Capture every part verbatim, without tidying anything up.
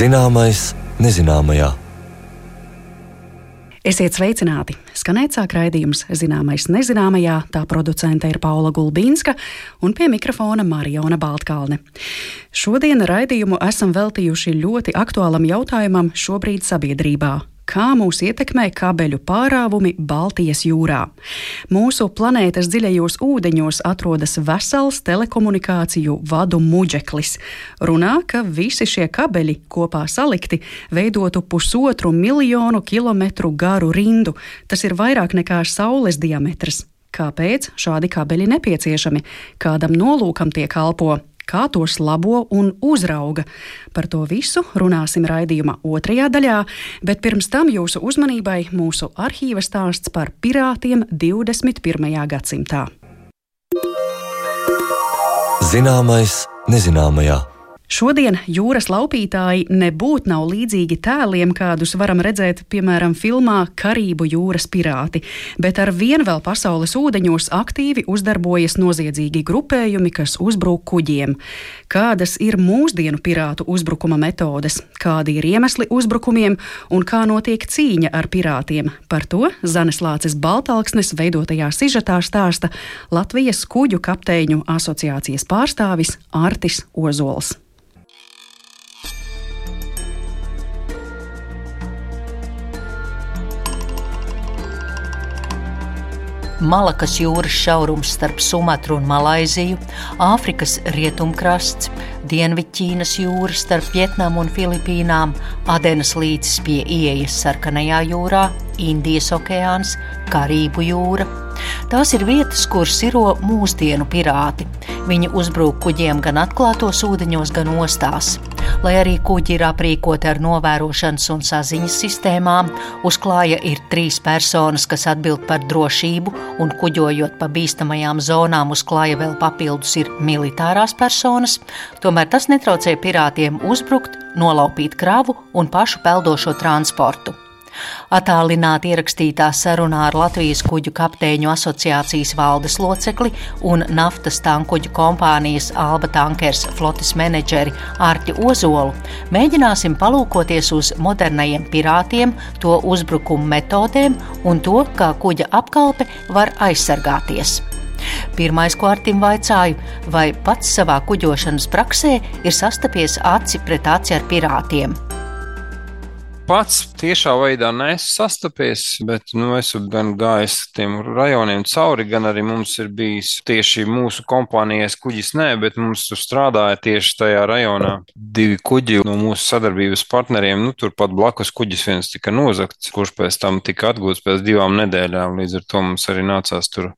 Zināmais nezināmajā. Esiet sveicināti! Skanēt sāk raidījums Zināmais nezināmajā, tā producente ir Paula Gulbīnska un pie mikrofona Marijona Baltkalne. Šodien raidījumu esam veltījuši ļoti aktuālam jautājumam šobrīd sabiedrībā. Kā mūs ietekmē kabeļu pārāvumi Baltijas jūrā? Mūsu planētas dziļajos ūdeņos atrodas vesels telekomunikāciju vadu muģeklis. Runā, ka visi šie kabeļi kopā salikti veidotu pusotru miljonu kilometru garu rindu. Tas ir vairāk nekā Saules diametrs. Kāpēc šādi kabeļi nepieciešami? Kādam nolūkam tie kalpo? Kā tos labo un uzrauga? Par to visu runāsim raidījuma otrajā daļā, bet pirms tam jūsu uzmanībai mūsu arhīva stāsts par pirātiem divdesmit pirmajā gadsimtā. Zināmais nezināmajā. Šodien jūras laupītāji nebūtu nav līdzīgi tēliem, kādus varam redzēt, piemēram, filmā Karību jūras pirāti, bet ar vien vēl pasaules ūdeņos aktīvi uzdarbojas noziedzīgi grupējumi, kas uzbruk kuģiem. Kādas ir mūsdienu pirātu uzbrukuma metodes, kādi ir iemesli uzbrukumiem un kā notiek cīņa ar pirātiem? Par to Zanes Lāces Baltalksnes veidotajā sižetā stāsta Latvijas kuģu kapteiņu asociācijas pārstāvis Artis Ozols. Malakas jūras šaurums starp Sumatru un Malaiziju, Āfrikas rietumkrasts, Dienvidķīnas jūra starp Vietnamu un Filipīnām, Adenas līcis pie ieejas Sarkanajā jūrā, Indijas okeāns, Karību jūra. Tās ir vietas, kur siro mūsdienu pirāti. Viņi uzbrūk kuģiem gan atklātos ūdeņos, gan ostās. Lai arī kuģi ir aprīkoti ar novērošanas un saziņas sistēmām, uz klāja ir trīs personas, kas atbild par drošību, un kuģojot pa bīstamajām zonām uz klāja vēl papildus ir militārās personas, tomēr tas netraucē pirātiem uzbrukt, nolaupīt kravu un pašu peldošo transportu. Attālināti ierakstītā sarunā ar Latvijas kuģu kapteiņu asociācijas valdes locekli un naftas tankuģu kompānijas Alba Tankers flotes menedžeri Arti Ozolu mēģināsim palūkoties uz modernajiem pirātiem, to uzbrukumu metodēm un to, kā kuģa apkalpe var aizsargāties. Pirmais, ko Artim vaicāju, vai pats savā kuģošanas praksē ir sastapies aci pret aci ar pirātiem. Pats tiešā veidā neesmu sastapies, bet nu, esmu gan gājis tiem rajoniem cauri, gan arī mums ir bijis tieši mūsu kompānijas kuģis, nē, bet mums tur strādāja tieši tajā rajonā divi kuģi no mūsu sadarbības partneriem. Nu, turpat blakus kuģis viens tika nozagts, kurš pēc tam tika atgūts pēc divām nedēļām. Līdz ar to mums arī nācās tur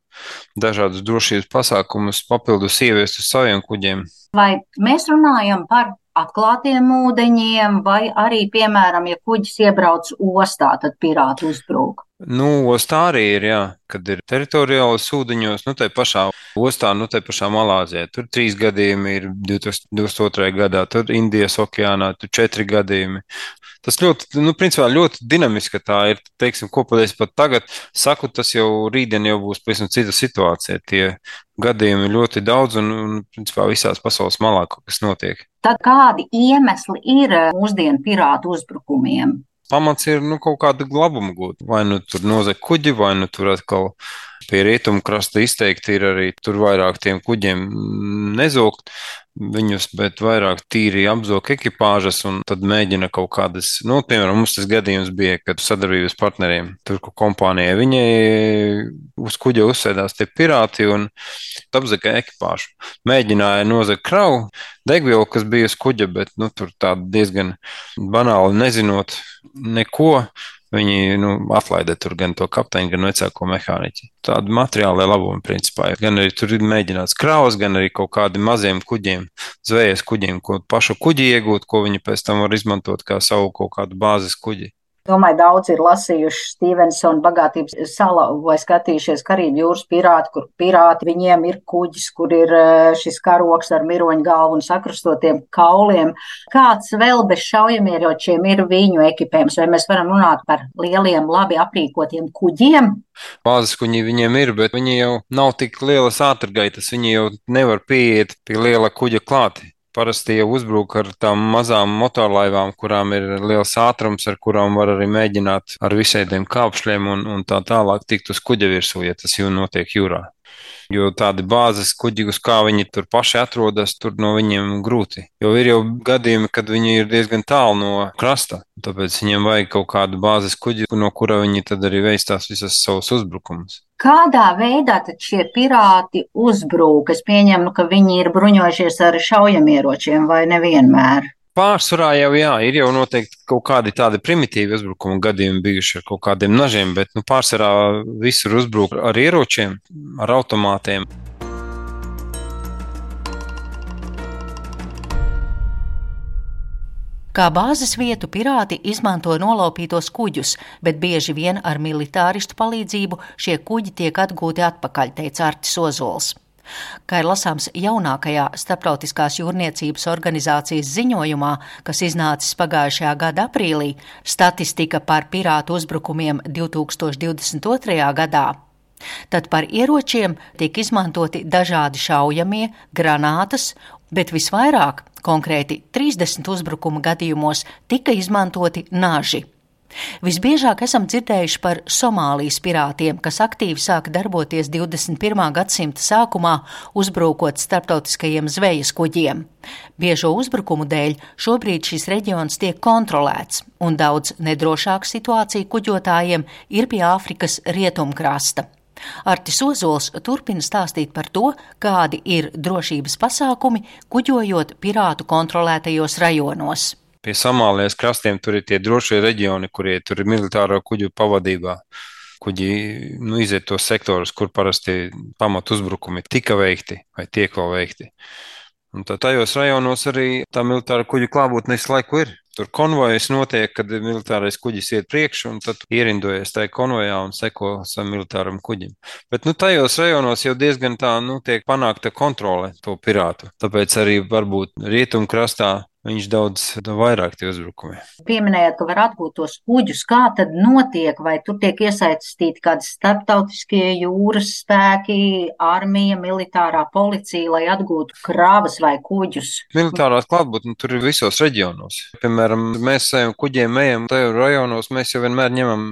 dažādus drošības pasākumus papildus ieviest uz saviem kuģiem. Vai mēs runājam par atklātiem ūdeņiem, vai arī, piemēram, ja kuģis iebrauc ostā, tad pirāti uzbrūk? Nu, ostā arī ir, jā, kad ir teritoriālas ūdeņos, nu, tai pašā ostā, nu, tai pašā Malāzijā. Tur trīs gadījumi ir divdesmit otrajā gadā, tur Indijas okeānā, tur četri gadījumi. Tas ļoti, nu, principā ļoti dinamiski tā ir, teiksim, ko pat es pat tagad saku, tas jau rītdien jau būs pavisam cita situācija. Tie gadījumi ir ļoti daudz un, un principā, visās pasaules malā kaut kas notiek. Tad kādi iemesli ir mūsdienu pirātu uzbrukumiem? Pamats ir, nu, kaut kāda glabuma gūt. Vai nu tur nozag kuģi, vai nu tur atkal pie rietumu krasta izteikti ir arī tur vairāk tiem kuģiem nezogt viņus, bet vairāk tīri apzog ekipāžas un tad mēģina kaut kādas, nu, piemēram, mums tas gadījums bija, kad sadarbības partneriem, tur, ko kompānijai, viņai uz kuģa uzsēdās tie pirāti un apzaga ekipāžu. Mēģināja nozagt kravu, degvielu, kas bija uz kuģa, bet, nu, tur tāda diezgan banāli nezinot neko, viņi, nu, atlaida tur gan to kapteiņu, gan vecāko mehāniķi. Tādi materiālai labumi, principā. Gan arī tur ir mēģināts kravas, gan arī kaut kādi maziem kuģiem, zvejas kuģiem, ko pašu kuģi iegūt, ko viņi pēc tam var izmantot kā savu kaut kādu bāzes kuģi. Domāju, daudz ir lasījuši Stevensona Bagātības sala vai skatījušies Karību jūras pirāti, kur pirāti viņiem ir kuģis, kur ir šis karoks ar miroņu galvu un sakrustotiem kauliem. Kāds vēl bez šaujamieročiem ir viņu ekipējums? Vai mēs varam runāt par lieliem, labi aprīkotiem kuģiem? Bāzes kuģi viņiem ir, bet viņi jau nav tik lielas ātrgaitas, viņi jau nevar pieiet pie liela kuģa klāti. Parasti jau uzbruk ar tām mazām motorlaivām, kurām ir liels ātrums, ar kurām var arī mēģināt ar visādiem kāpšļiem un, un tā tālāk tikt uz kuģa virsū, ja tas jau notiek jūrā. Jo tādi bāzes kuģi, uz kā viņi tur paši atrodas, tur no viņiem grūti. Jo ir jau gadījumi, kad viņi ir diezgan tālu no krasta, tāpēc viņiem vajag kaut kādu bāzes kuģi, no kura viņi tad arī veistās visas savus uzbrukumus. Kādā veidā tad šie pirāti uzbrūk? Es pieņemu, ka viņi ir bruņojušies ar šaujamieročiem vai nevienmēr? Pārsvarā jau jā, ir jau noteikti kaut kādi tādi primitīvi uzbrukuma gadījumi bijuši ar kaut kādiem nažiem, bet nu, pārsvarā visur uzbruk ar ieročiem, ar automātiem. Kā bāzes vietu pirāti izmanto nolaupītos kuģus, bet bieži vien ar militāristu palīdzību šie kuģi tiek atgūti atpakaļ, teica Artis Ozols. Kā ir lasāms jaunākajā Starptautiskās jūrniecības organizācijas ziņojumā, kas iznācis pagājušajā gada aprīlī, statistika par pirātu uzbrukumiem divi tūkstoši divdesmit otrajā gadā, tad par ieročiem tiek izmantoti dažādi šaujamie, granātas, bet visvairāk, konkrēti trīsdesmit uzbrukuma gadījumos, tika izmantoti naži. Visbiežāk esam dzirdējuši par Somālijas pirātiem, kas aktīvi sāka darboties divdesmit pirmā gadsimta sākumā, uzbrukot starptautiskajiem zvejas kuģiem. Biežo uzbrukumu dēļ šobrīd šis reģions tiek kontrolēts, un daudz nedrošāka situācija kuģotājiem ir pie Āfrikas rietumkrasta. Artis Ozols turpina stāstīt par to, kādi ir drošības pasākumi, kuģojot pirātu kontrolētajos rajonos. Pie Somālijas krastiem tur ir tie drošie reģioni, kurie tur ir militāro kuģu pavadībā. Kuģi nu, iziet tos sektorus, kur parasti pamat uzbrukumi tika veikti vai tiek vēl veikti. Un tā tajos rajonos arī tā militāra kuģu klātbūtne visu laiku ir. Tur konvojas notiek, kad militārais kuģis iet priekšu, un tad ierindojas tajā konvojā un seko savam militāram kuģim. Bet nu, tajos rajonos jau diezgan tā nu, tiek panākta kontrole to pirātu. Tāpēc arī varbūt rietumkrastā viņš daudz vairāk tie uzbrukumi. Pieminējāt, ka var atgūt tos kuģus. Kā tad notiek? Vai tur tiek iesaistīti kādi starptautiskie jūras spēki, armija, militārā policija, lai atgūtu kravas vai kuģus? Militārās klātbūtne tur ir visos reģionos. Piemēram, mēs saviem kuģiem ejam tajos rajonos, mēs jau vienmēr ņemam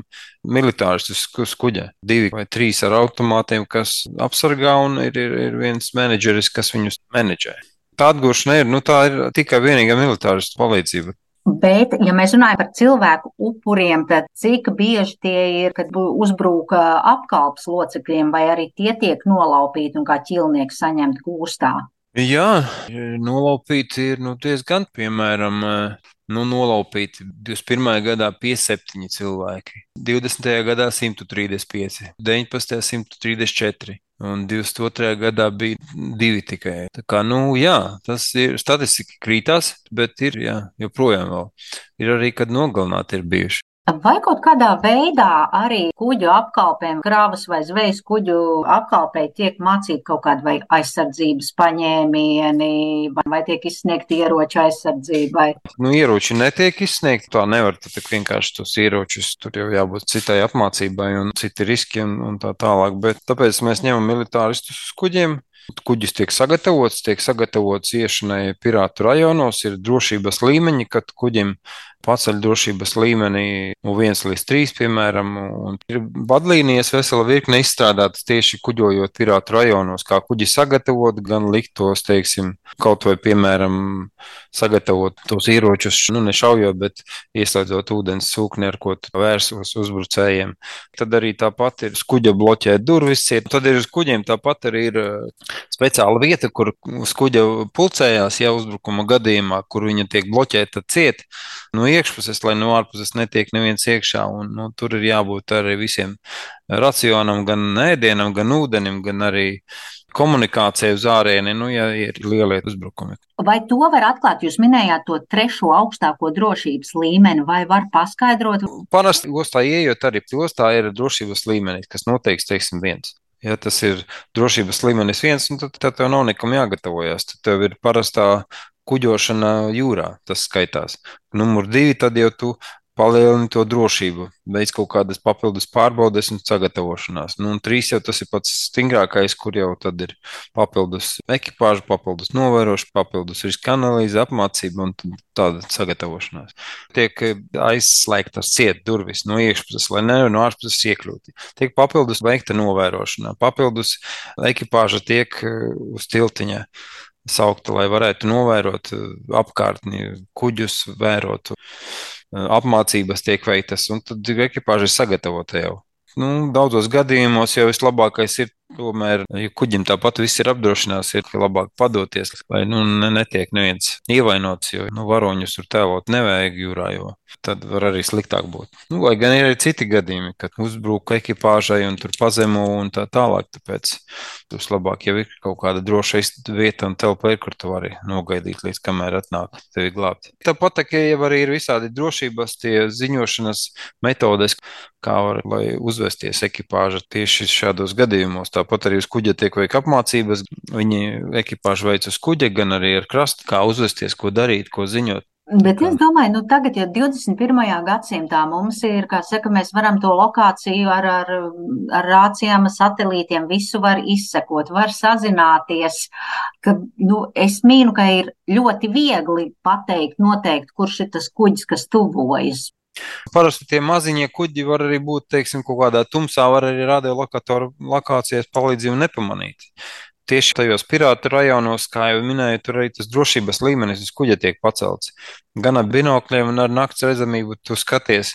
militāristus uz kuģa. Divi vai trīs ar automātiem, kas apsargā, un ir, ir, ir viens menedžeris, kas viņus menedžē. Tā atgūšana ir, nu tā ir tikai vienīgā militāristu palīdzība. Bet, ja mēs runājam par cilvēku upuriem, tad cik bieži tie ir, kad uzbruka apkalpes locekļiem, vai arī tie tiek nolaupīti un kā ķilnieki saņemti gūstā? Jā, nolaupīti ir nu, diezgan, piemēram, nu, nolaupīti divdesmit pirmajā gadā piecdesmit septiņi cilvēki, divdesmitajā gadā simt trīsdesmit pieci, deviņpadsmitajā simt trīsdesmit četri. Un divdesmit otrajā gadā bija divi tikai. Tā kā, nu, jā, tas ir, statistika krītās, bet ir, jā, joprojām vēl. Ir arī, kad nogalināti ir bijuši. Vai kaut kādā veidā arī kuģu apkalpēm, kravas vai zvejas kuģu apkalpē tiek mācīti kaut kādi vai aizsardzības paņēmieni, vai tiek izsniegti ieroču aizsardzībai? Nu, ieroči netiek izsniegti, tā nevar, tad vienkārši tos ieročus, tur jau jābūt citai apmācībai un citi riski un, un tā tālāk, bet tāpēc mēs ņemam militāristus uz kuģiem. Kuģis tiek sagatavots, tiek sagatavots iešanai pirātu rajonos, ir drošības līmeņi, kad kuģim paceļ drošības līmenī no viens līdz trīs, piemēram, un ir vadlīnijas vesela virkne izstrādātas tieši kuģojot pirātu rajonos, kā kuģi sagatavot, gan likt tos, teiksim, kaut vai, piemēram, sagatavot tos ieročus, nu, nešaujot, bet ieslēdzot ūdens sūkni, ar ko vērsos uzbrucējiem. Tad arī tāpat ir uz kuģa bloķēt durvis, tad ir uz kuģiem tāpat arī ir speciāla vieta, kur uz kuģa pulcējās, ja uzbrukuma gadījumā, kur viņa tiek bloķēta ciet. Nu, iekšpuses, lai no ārpuses netiek neviens iekšā, un nu, tur ir jābūt arī visiem racionam, gan ēdienam, gan ūdenim, gan arī komunikācija uz ārieni, nu, ja ir lielie uzbrukumi. Vai to var atklāt? Jūs minējāt to trešo augstāko drošības līmeni, vai var paskaidrot? Parasti ostā ieejot arī ostā ir drošības līmenis, kas noteikts, teiksim, viens. Ja tas ir drošības līmenis viens, nu, tad, tad tev nav nekam jāgatavojas. Tad tev ir parastā kuģošana jūrā, tas skaitās. Numur divi, tad jau tu palielini to drošību, veic kaut kādas papildus pārbaudes un sagatavošanās. Nu, un trīs jau tas ir pats stingrākais, kur jau tad ir papildus ekipāža, papildus novērošana, papildus riska analīze, apmācība un tāda sagatavošanās. Tiek aizslēgtas ciet durvis no iekšpuses, lai nevar no ārpuses iekļūt. Tiek papildus veikta novērošanā, papildus ekipāža tiek uz tiltiņa saukta, lai varētu novērot apkārtni, kuģus vērot. Apmācības tiek veiktas, un tad ekipāža ir sagatavota jau. Nu, daudzos gadījumos jau vislabākais ir tomēr, ja kuģim tāpat viss ir apdrošinās, ir labāk padoties, lai nu, netiek neviens ievainots, jo nu, varoņus tur tēlot nevajag jūrā, jo tad var arī sliktāk būt. Nu, lai gan ir arī citi gadījumi, kad uzbruk ekipāžai un tur pazemo un tā tālāk, tāpēc tas labāk jau ir kaut kāda droša vieta un telpa ir, kur tu vari nogaidīt, līdz kamēr atnāk tevi glābt. Tāpat, ka jau arī ir visādi drošības tie ziņošanas metodes, kā var, lai uzvesties ekipāža tieši šādos gadījumos. Tāpat arī uz kuģa tiek veik apmācības, viņi ekipāžu veic uz kuģa, gan arī ar krastu, kā uzvesties, ko darīt, ko ziņot. Bet es domāju, nu tagad, ja divdesmit pirmajā gadsimtā mums ir, kā saka, mēs varam to lokāciju ar, ar, ar rācijām, satelītiem, visu var izsekot, var sazināties, ka, nu, es mīnu, ka ir ļoti viegli pateikt, noteikt, kurš ir tas kuģis, kas tuvojas. Parasti tie maziņie kuģi var arī būt, teiksim, kaut kādā tumsā, var arī radiolokatoru lokācijas palīdzību nepamanīt. Tieši tajos pirātu rajonos, kā jau minēju, tur arī tas drošības līmenis uz kuģa tiek pacelts. Gan ar binokļiem un ar nakts redzamību tu skaties,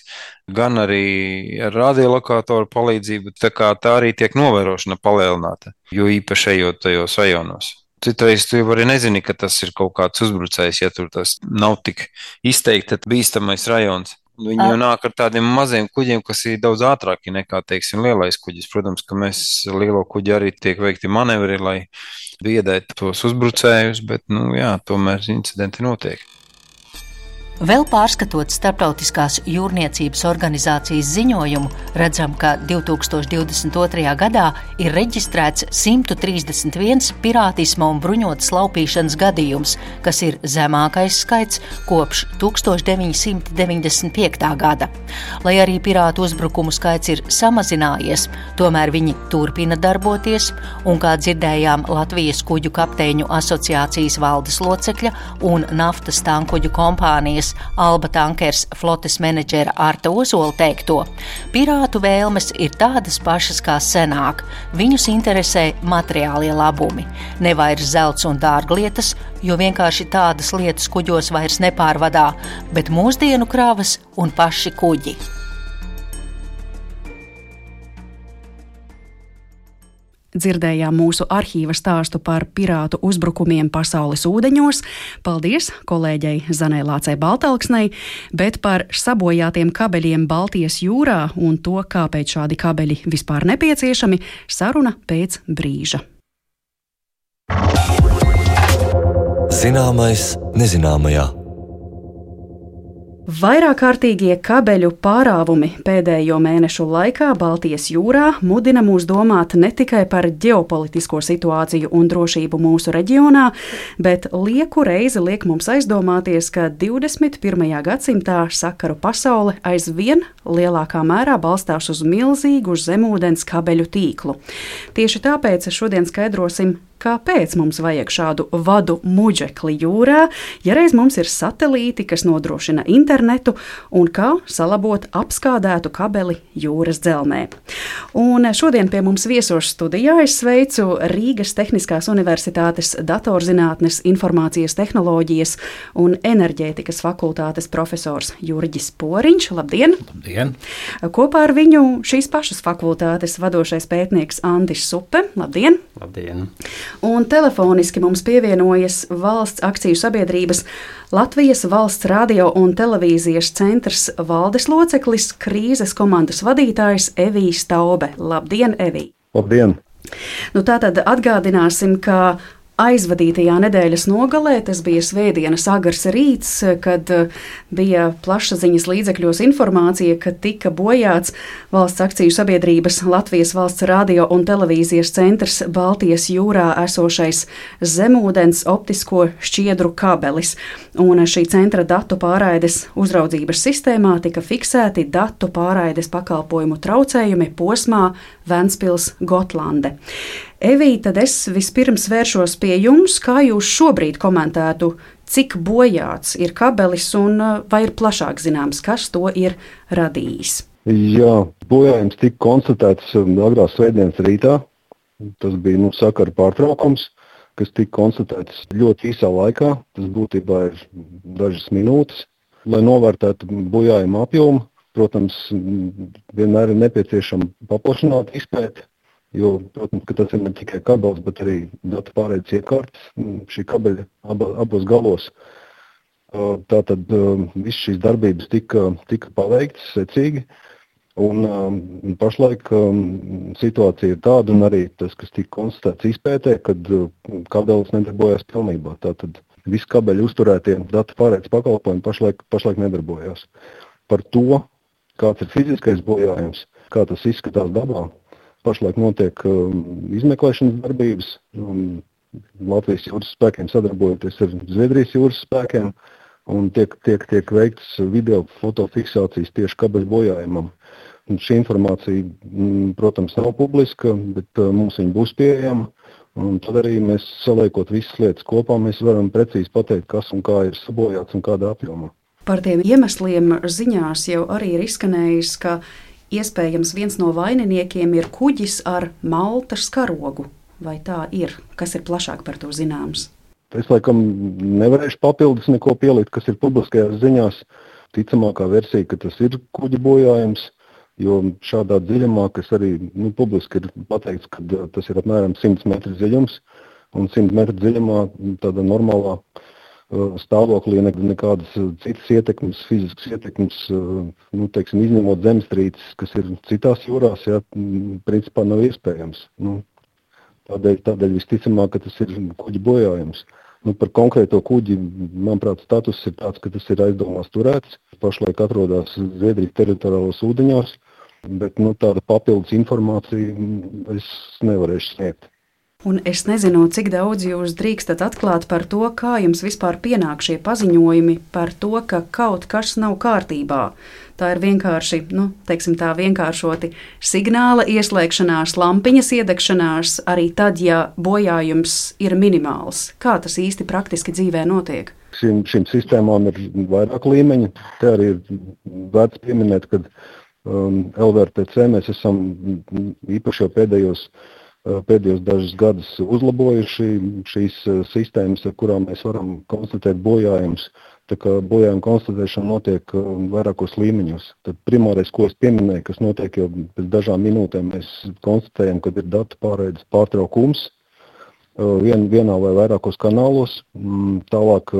gan arī ar radiolokatoru palīdzību, tā kā tā arī tiek novērošana palielināta, jo īpaši ejot tajos rajonos. Citreiz tu jau arī nezini, ka tas ir kaut kāds uzbrucējs, ja tur tas nav tik izteikti bīstamais rajons. Viņi jau nāk ar tādiem maziem kuģiem, kas ir daudz ātrāki nekā, teiksim, lielais kuģis. Protams, ka mēs lielo kuģi arī tiek veikti manevri, lai biedētu tos uzbrucējus, bet, nu jā, tomēr incidenti notiek. Vēl pārskatot Starptautiskās jūrniecības organizācijas ziņojumu, redzam, ka divi tūkstoši divdesmit otrajā gadā ir reģistrēts simt trīsdesmit viens pirātisma un bruņotas laupīšanas gadījums, kas ir zemākais skaits kopš tūkstoš deviņsimt deviņdesmit piektā gada. Lai arī pirātu uzbrukumu skaits ir samazinājies, tomēr viņi turpina darboties, un, kā dzirdējām, Latvijas kuģu kapteiņu asociācijas valdes locekļa un naftas tankuģu kompānijas Alba Tankers flotes menedžera Arta Ozola teikto, pirātu vēlmes ir tādas pašas kā senāk. Viņus interesē materiālie labumi, ne vairs zelts un dārglietas, jo vienkārši tādas lietas kuģos vairs nepārvadā, bet mūsdienu kravas un paši kuģi. Dzirdējām mūsu arhīva stāstu par pirātu uzbrukumiem pasaules ūdeņos. Paldies kolēģei Zanei Lācei Baltalksnei, bet par sabojātiem kabeļiem Baltijas jūrā un to, kāpēc šādi kabeļi vispār nepieciešami, saruna pēc brīža. Zināmais nezināmajā. Vairāk kārtīgie kabeļu pārāvumi pēdējo mēnešu laikā Baltijas jūrā mudina mūs domāt ne tikai par ģeopolitisko situāciju un drošību mūsu reģionā, bet lieku reizi liek mums aizdomāties, ka divdesmit pirmajā gadsimtā sakaru pasaule aizvien lielākā mērā balstās uz milzīgu zemūdens kabeļu tīklu. Tieši tāpēc šodien skaidrosim, kāpēc mums vajag šādu vadu muģekli jūrā, ja reiz mums ir satelīti, kas nodrošina internetu, un kā salabot apskādētu kabeli jūras dzelmē. Un šodien pie mums viesos studijā es sveicu Rīgas Tehniskās Universitātes datorzinātnes, informācijas tehnoloģijas un enerģētikas fakultātes profesors Jurģis Poriņš. Labdien! Labdien! Kopā ar viņu šīs pašas fakultātes vadošais pētnieks Andis Supe. Labdien! Labdien! un telefoniski mums pievienojas valsts akciju sabiedrības Latvijas valsts radio un televīzijas centrs valdes loceklis, krīzes komandas vadītājs Evijs Taube. Labdien, Evij! Labdien! Nu, tātad atgādināsim, ka aizvadītajā nedēļas nogalē, tas bija svētdienas agrs rīts, kad bija plašsaziņas līdzekļos informācija, ka tika bojāts valsts akciju sabiedrības Latvijas valsts radio un televīzijas centrs Baltijas jūrā esošais zemūdens optisko šķiedru kabelis. Un šī centra datu pārraides uzraudzības sistēmā tika fiksēti datu pārraides pakalpojumu traucējumi posmā Ventspils-Gotlande. Evij, tad es vispirms vēršos pie jums, kā jūs šobrīd komentētu, cik bojāts ir kabelis un vai ir plašāk zināms, kas to ir radījis? Jā, bojājums tika konstatēts agrās svētdienas rītā. Tas bija nu, sakara pārtraukums, kas tika konstatēts ļoti īsā laikā. Tas būtībā ir dažas minūtes. Lai novērtētu bojājumu apjomu, protams, vienmēr ir nepieciešama paplašināta izpēte. Jo, protams, ka tas ir ne tikai kabelis, bet arī datu pārraides iekārtas šī kabeļa aba, abos galos. Tātad viss šīs darbības tika, tika paveiktas secīgi, un pašlaik situācija ir tāda, un arī tas, kas tika konstatēts izpētē, kad kabelis nedarbojās pilnībā. Tātad visi kabeļi uzturētie datu pārraides pakalpojumi pašlaik, pašlaik nedarbojās. Par to, kāds ir fiziskais bojājums, kā tas izskatās dabā, pašlaik notiek um, izmeklēšanas darbības. Um, Latvijas jūras spēkiem sadarbojoties ar Zviedrijas jūras spēkiem un tiek, tiek, tiek veikts video fotofiksācijas tieši kabeļu bojājumam. Un šī informācija, m, protams, nav publiska, bet uh, mums viņa būs pieejama. Un tad arī mēs saliekot visas lietas kopā, mēs varam precīzi pateikt, kas un kā ir sabojāts un kādā apjomā. Par tiem iemesliem ziņās jau arī ir izskanējis, ka iespējams viens no vaininiekiem ir kuģis ar Maltas karogu. Vai tā ir? Kas ir plašāk par to zināms? Es laikam nevarēšu papildus neko pielikt, kas ir publiskajās ziņās. Ticamākā versija, ka tas ir kuģa bojājums, jo šādā dziļumā, kas arī nu, publiski ir pateikts, ka tas ir apmēram simts metru dziļums, un simt metru dziļumā tādā normālā stāvoklī nekādas citas ietekmes, fiziskas ietekmes, nu, teiksim, izņemot zemestrīces, kas ir citās jūrās, jā, principā nav iespējams. Nu, tādēļ, tādēļ visticamāk, ka tas ir kuģi bojājums. Nu, par konkrēto kuģi, manuprāt, status ir tāds, ka tas ir aizdomās turēts. Pašlaik atrodas Zviedrijas teritoriālos ūdeņos, bet nu, tāda papildus informācija es nevarēšu sniegt. Un es nezinu, cik daudz jūs drīkstat atklāt par to, kā jums vispār pienāk šie paziņojumi par to, ka kaut kas nav kārtībā. Tā ir vienkārši, nu, teiksim tā vienkāršoti signāla ieslēgšanās, lampiņas iedegšanās, arī tad, ja bojājums ir minimāls. Kā tas īsti praktiski dzīvē notiek? Šim, šim sistēmām ir vairāk līmeņi. Te arī ir vērts pieminēt, ka um, L V R T C mēs esam īpaši jau pēdējos pēdējos dažus gadus uzlabojuši šīs sistēmas, ar kurām mēs varam konstatēt bojājumus. Tā kā bojājuma konstatēšana notiek vairākos līmeņos. Tad primārais, ko es pieminēju, kas notiek jau pēc dažām minūtēm, mēs konstatējam, ka ir datu pārraides pārtraukums vien, vienā vai vairākos kanālos. Tālāk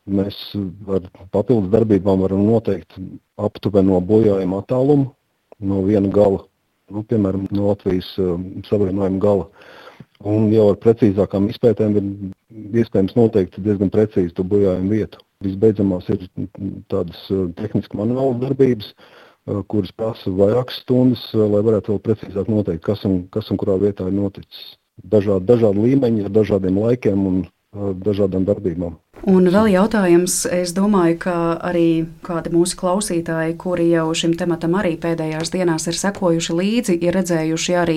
mēs ar papildus darbībām varam noteikt aptuveno bojājuma attālumu no viena gala. Nu, piemēram, no Latvijas uh, savienojuma gala. Un jau ar precīzākām izpētēm ir iespējams noteikt diezgan precīzi to bojājumu vietu. Visbeidzamās ir tādas uh, tehniski manuālas darbības, uh, kuras prasa vairākas stundas, uh, lai varētu vēl precīzāk noteikt, kas un, kas un kurā vietā ir noticis. Dažādi, dažādi līmeņi ar dažādiem laikiem un uh, dažādām darbībām. Un vēl jautājums, es domāju, ka arī kādi mūsu klausītāji, kuri jau šim tematam arī pēdējās dienās ir sekojuši līdzi, ir redzējuši arī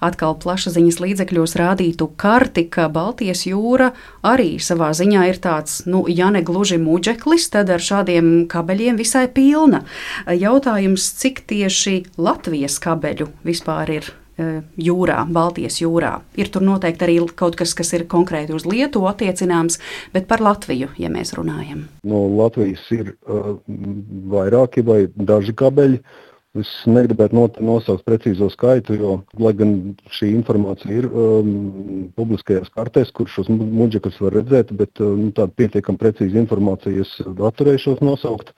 atkal plašsaziņas līdzekļos rādītu karti, ka Baltijas jūra arī savā ziņā ir tāds, nu, ja ne gluži muģeklis, tad ar šādiem kabeļiem visai pilna. Jautājums, cik tieši Latvijas kabeļu vispār ir jūrā, Baltijas jūrā. Ir tur noteikti arī kaut kas, kas ir konkrēti uz Lietuvu attiecināms, bet par Latviju, ja mēs runājam. No Latvijas ir uh, vairāki vai daži kabeļi. Es negribētu nosaukt precīzo skaitu, jo, lai gan šī informācija ir um, publiskajās kartēs, kur šos muģekus var redzēt, bet um, tāda pietiekam precīza informācija es atturēšos nosaukt.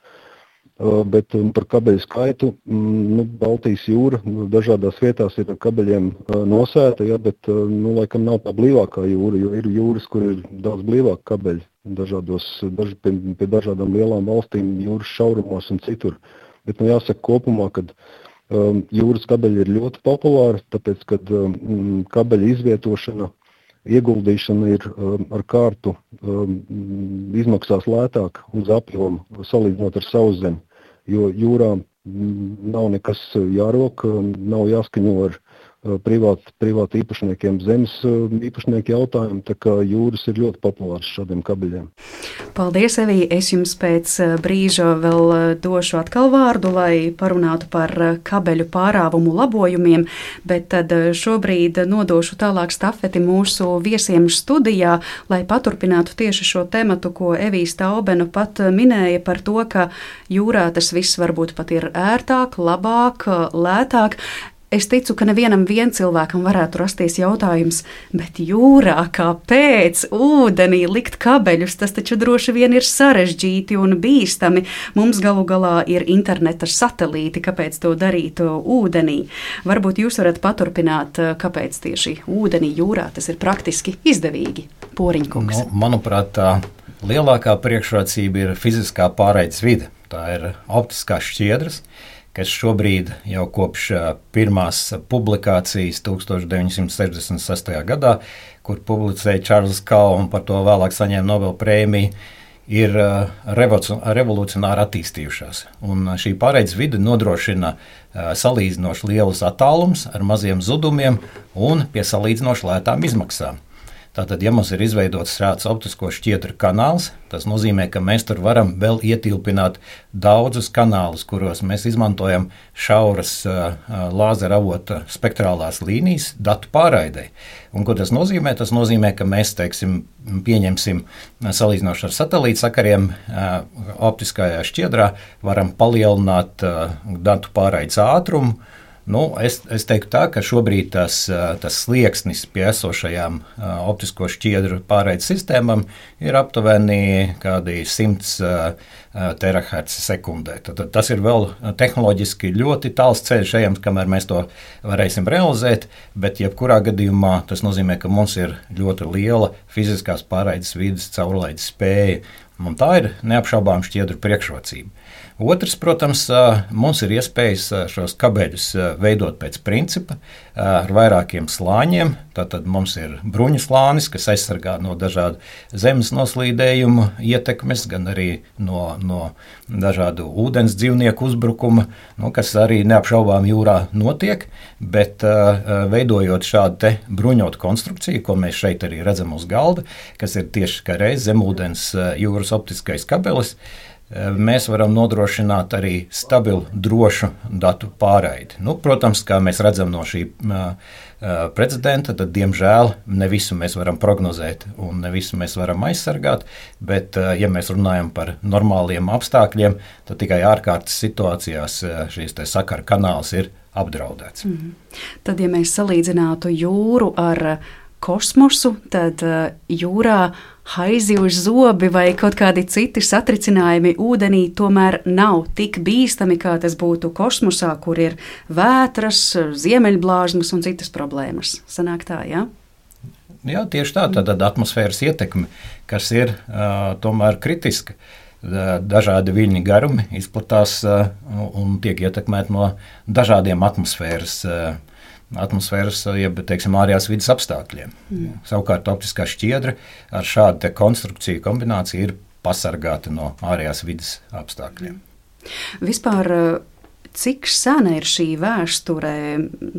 Uh, bet um, par kabeļu skaitu, um, nu, Baltijas jūra dažādās vietās ir ar kabeļiem uh, nosēta, ja, bet, uh, nu, laikam nav tā blīvākā jūra, jo ir jūras, kur ir daudz blīvāk kabeļi, dažādos, daž, pie, pie dažādām lielām valstīm, jūras šaurumos un citur. Bet, nu, jāsaka kopumā, ka um, jūras kabeļi ir ļoti populāri, tāpēc, ka um, kabeļa izvietošana, ieguldīšana ir um, ar kārtu um, izmaksās lētāk uz apjomu, salīdzinot ar sauszemi, jo jūrā nav nekas jārok, nav jāskaņo ar privāt, privāt īpašniekiem zemes īpašnieku jautājumu, tā kā jūras ir ļoti populārs šādiem kabeļiem. Paldies, Evī! Es jums pēc brīža vēl došu atkal vārdu, lai parunātu par kabeļu pārāvumu labojumiem, bet tad šobrīd nodošu tālāk stafeti mūsu viesiem studijā, lai paturpinātu tieši šo tematu, ko Evija Staubena pat minēja par to, ka jūrā tas viss varbūt pat ir ērtāk, labāk, lētāk. Es ticu, ka nevienam vien cilvēkam varētu rasties jautājums, bet jūrā kāpēc ūdenī likt kabeļus? Tas taču droši vien ir sarežģīti un bīstami. Mums galu galā ir interneta satelīti, kāpēc to darīt ūdenī. Varbūt jūs varat paturpināt, kāpēc tieši ūdenī jūrā tas ir praktiski izdevīgi. Poriņkungs. Nu, manuprāt, tā lielākā priekšrocība ir fiziskā pārraides vide. Tā ir optiskās šķiedras, kas šobrīd jau kopš pirmās publikācijas tūkstoš deviņi simti sešdesmit sestajā gadā, kur publicēja Čārls Kao un par to vēlāk saņēma Nobela prēmiju, ir revolucionāri attīstījušās. Un šī pārraides vide nodrošina salīdzinoši lielus attālumus ar maziem zudumiem un pie salīdzinoši lētām izmaksām. Tātad, ja mums ir izveidots šāds optisko šķiedru kanāls, tas nozīmē, ka mēs tur varam vēl ietilpināt daudzus kanālus, kuros mēs izmantojam šauras uh, lāzera avota spektrālās līnijas datu pārraidei. Un ko tas nozīmē? Tas nozīmē, ka mēs, teiksim, pieņemsim salīdzinoši ar satelīta sakariem uh, optiskajā šķiedrā, varam palielināt uh, datu pārraides ātrumu. Nu, es, es teiktu tā, ka šobrīd tas, tas slieksnis pie esošajām uh, optisko šķiedru pārraides sistēmām ir aptuveni kādi simts uh, terahertz sekundē. Tad, tas ir vēl tehnoloģiski ļoti tāls ceļš ejams, kamēr mēs to varēsim realizēt, bet jebkurā gadījumā tas nozīmē, ka mums ir ļoti liela fiziskās pārraides vides caurlaides spēja, un tā ir neapšaubām šķiedru priekšrocība. Otrs, protams, mums ir iespējas šos kabeļus veidot pēc principa ar vairākiem slāņiem. Tātad mums ir bruņu slānis, kas aizsargā no dažādu zemes noslīdējumu ietekmes, gan arī no, no dažādu ūdens dzīvnieku uzbrukuma, nu, kas arī neapšaubām jūrā notiek, bet veidojot šādu te bruņotu konstrukciju, ko mēs šeit arī redzam uz galda, kas ir tieši kā reiz zemūdens jūras optiskais kabelis, mēs varam nodrošināt arī stabilu, drošu datu pārraidi. Nu, protams, kā mēs redzam no šī uh, precedenta, tad, diemžēl, ne visu mēs varam prognozēt un ne visu mēs varam aizsargāt, bet, uh, ja mēs runājam par normāliem apstākļiem, tad tikai ārkārtas situācijās uh, šīs te sakara kanāls ir apdraudēts. Mm. Tad, ja mēs salīdzinātu jūru ar kosmosu, tad uh, jūrā haizivju zobi vai kaut kādi citi satricinājumi ūdenī tomēr nav tik bīstami, kā tas būtu kosmosā, kur ir vētras, ziemeļblāzmas un citas problēmas. Sanāk tā, jā? Jā, tieši tā. Tad atmosfēras ietekme, kas ir uh, tomēr kritiska. Dažādi viļņu garumi izplatās uh, un tiek ietekmēti no dažādiem atmosfēras uh, atmosfēras, jeb, teiksim, ārējās vidas apstākļiem. Mm. Savukārt optiskā šķiedra ar šādu te konstrukciju kombināciju ir pasargāta no ārējās vidas apstākļiem. Vispār, cik sena ir šī vēsture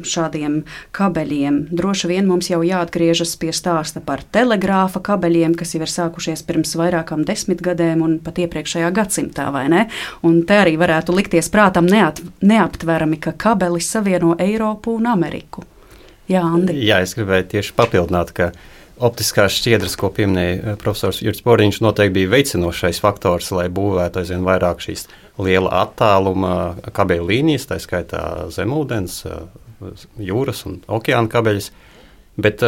šādiem kabeļiem? Droši vien mums jau jāatgriežas pie stāsta par telegrāfa kabeļiem, kas jau ir sākušies pirms vairākām desmitgadēm un pat iepriekšējā gadsimtā, vai ne? Un te arī varētu likties prātam neat, neaptverami, ka kabelis savieno Eiropu un Ameriku. Jā, Andi? Jā, es gribēju tieši papildināt, ka optiskās šķiedras, ko pieminēja profesors Jurģis Boriņš, noteikti bija veicinošais faktors, lai būvētu aizvien vairāk šīs liela attāluma kabeļu līnijas, tā skaitā zemūdens, jūras un okeāna kabeļus. Bet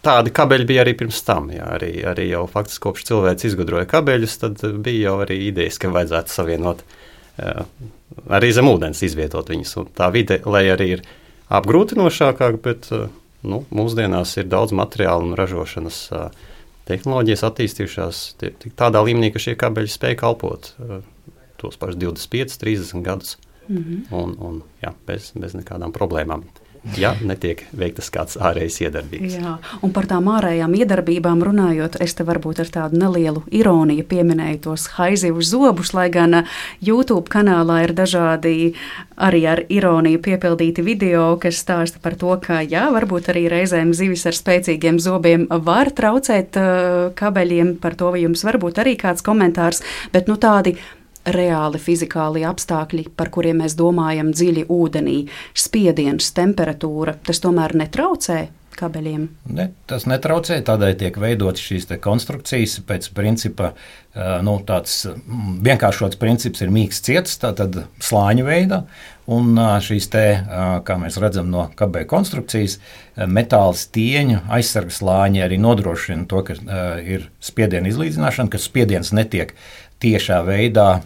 tādi kabeļi bija arī pirms tam. Jā, arī, arī jau faktiski kopš cilvēks izgudroja kabeļus, tad bija jau arī idejas, ka vajadzētu savienot arī zemūdens izvietot viņus. Un tā vide, lai arī ir apgrūtinošākāk, bet nu, mūsdienās ir daudz materiālu un ražošanas tehnoloģijas attīstījušās tādā līmenī, ka šie kabeļi spēja kalpot tos pašus divdesmit piecus, trīsdesmit gadus mm-hmm. un, un jā, bez, bez nekādām problēmām. Ja netiek veiktas kāds ārējais iedarbības. Jā, un par tām ārējām iedarbībām runājot, es te varbūt ar tādu nelielu ironiju pieminēju tos haizivu zobus, lai gan YouTube kanālā ir dažādi arī ar ironiju piepildīti video, kas stāsta par to, ka jā, varbūt arī reizēm zivis ar spēcīgiem zobiem var traucēt uh, kabeļiem, par to vai jums varbūt arī kāds komentārs, bet nu tādi reāli fizikāli apstākļi, par kuriem mēs domājam dziļi ūdenī, spiediens, temperatūra, tas tomēr netraucē kabeļiem? Ne, tas netraucē, tādēļ tiek veidotas šīs te konstrukcijas pēc principa, nu, tāds vienkāršots princips ir mīksts ciets, tātad slāņu veidā, un šīs te, kā mēs redzam no kabeļu konstrukcijas, metāla stieņu aizsargas slāņi arī nodrošina to, ka ir spiediena izlīdzināšana, ka spiediens netiek tiešā veidā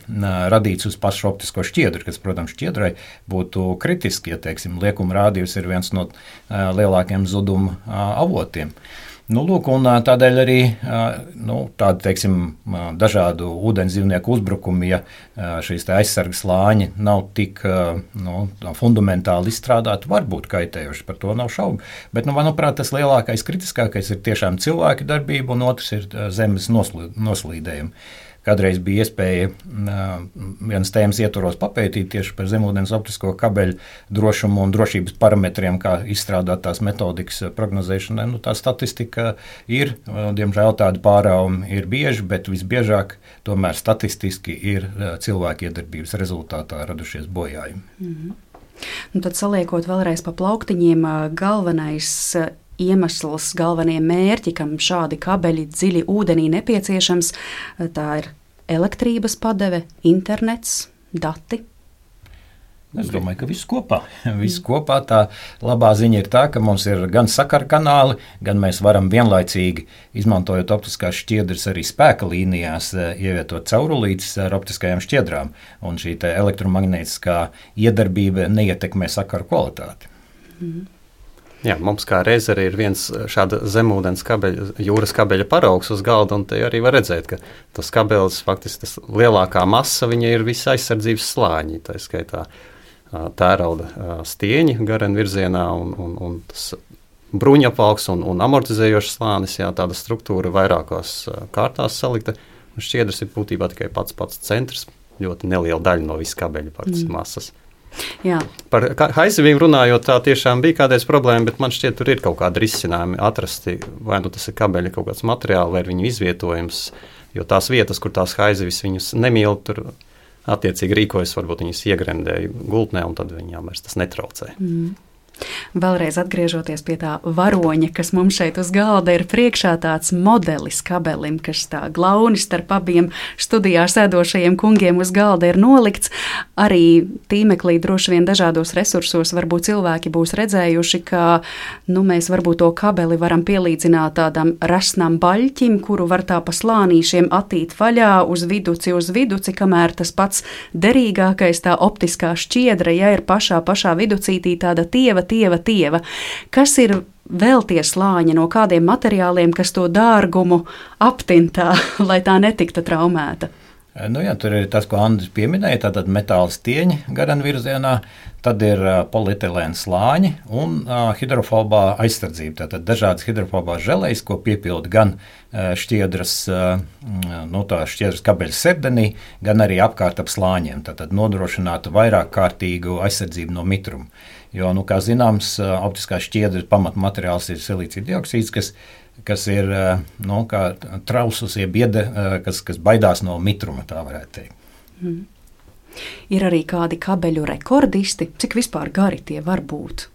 radīts uz pašu optisko šķiedru, kas, protams, šķiedrai būtu kritiski, ja, teiksim, liekuma rādījus ir viens no lielākiem zuduma avotiem. Nu, lūk, un tādēļ arī nu, tādi, teiksim, dažādu ūdens dzīvnieku uzbrukumi, ja šīs te aizsargas slāņi nav tik nu, fundamentāli izstrādāti, var būt kaitējoši, par to nav šaubu. Bet, nu, manuprāt, tas lielākais kritiskākais ir tiešām cilvēka darbība, un otrs ir zemes noslīdējumi. Kādreiz bija iespēja vienas tēmas ietvaros papētīt tieši par zemūdens optisko kabeļu drošumu un drošības parametriem, kā izstrādāt tās metodikas prognozēšanai. Nu, tā statistika ir, diemžēl tādi pārāvumi ir bieži, bet visbiežāk tomēr statistiski ir cilvēku iedarbības rezultātā radušies bojājumi. Mm-hmm. Nu, tad saliekot vēlreiz pa plauktiņiem, galvenais iemesls, galvenie mērķi, kam šādi kabeļi dziļi ūdenī nepieciešams, tā ir elektrības padeve, internets, dati. Es domāju, ka viss kopā. Viss kopā tā labā ziņa ir tā, ka mums ir gan sakara kanāli, gan mēs varam vienlaicīgi, izmantojot optiskās šķiedras arī spēka līnijās, ievietot caurulītes ar optiskajām šķiedrām, un šī te elektromagnētiskā iedarbība neietekmē sakaru kvalitāti. Mm. Jā, mums kā reiz arī ir viens šāda zemūdens kabeļa, jūras kabeļa paraugs uz galda, un te arī var redzēt, ka tas kabelis, faktiski tas lielākā masa, viņa ir visa aizsardzības slāņi, tā skaitā tērauda stieņi garen virzienā un, un, un tas bruņapvalks un, un amortizējošs slānis, jā, tāda struktūra vairākās kārtās salikta, un šķiedras ir būtībā tikai pats pats centrs, ļoti neliela daļa no visu kabeļa faktiski mm. masas. Jā. Par haizivīm runājot, tā tiešām bija kādreiz problēma, bet man šķiet, tur ir kaut kādi risinājumi atrasti, vai nu tas ir kabeļa kaut kāds materiāls, vai ir viņu izvietojums, jo tās vietas, kur tās haizivis viņus nemīl, tur attiecīgi rīkojas, varbūt viņus iegremdēja gultnē, un tad viņām vairs tas netraucē. Mm. Vēlreiz atgriežoties pie tā varoņa, kas mums šeit uz galda ir priekšā tāds modelis kabelim, kas tā glauni starp abiem studijā sēdošajiem kungiem uz galda ir nolikts. Arī tīmeklī droši vien dažādos resursos varbūt cilvēki būs redzējuši, ka nu, mēs varbūt to kabeli varam pielīdzināt tādam rasnam baļķim, kuru var tā pa slānīšiem attīt vaļā uz viduci, uz viduci, kamēr tas pats derīgākais, tā optiskā šķiedra, ja ir pašā, pašā viducītī tāda tieva, tieva, tieva. Kas ir vēl tie slāņi, no kādiem materiāliem, kas to dārgumu aptintā, lai tā netiktu traumēta? Nu jā, tur ir tas, ko Andris pieminēja, tātad metāla stieņi garen virzienā, tad ir uh, polietilēna slāņi un uh, hidrofobā aizsardzība. Tātad dažādas hidrofobās želejas, ko piepilda gan uh, šķiedras, uh, nu tā šķiedras kabeļa sepdenī, gan arī apkārt ap slāņiem. Tātad nodrošinātu vairāk kārtīgu aizsardzību no mitruma. Jo, nu, kā zināms, optiskās šķiedras pamatmateriāls ir silīcija dioksīds, kas, kas ir nu, kā trausus, jeb iede, kas, kas baidās no mitruma, tā varētu teikt. Mm. Ir arī kādi kabeļu rekordisti, cik vispār gari tie var būt?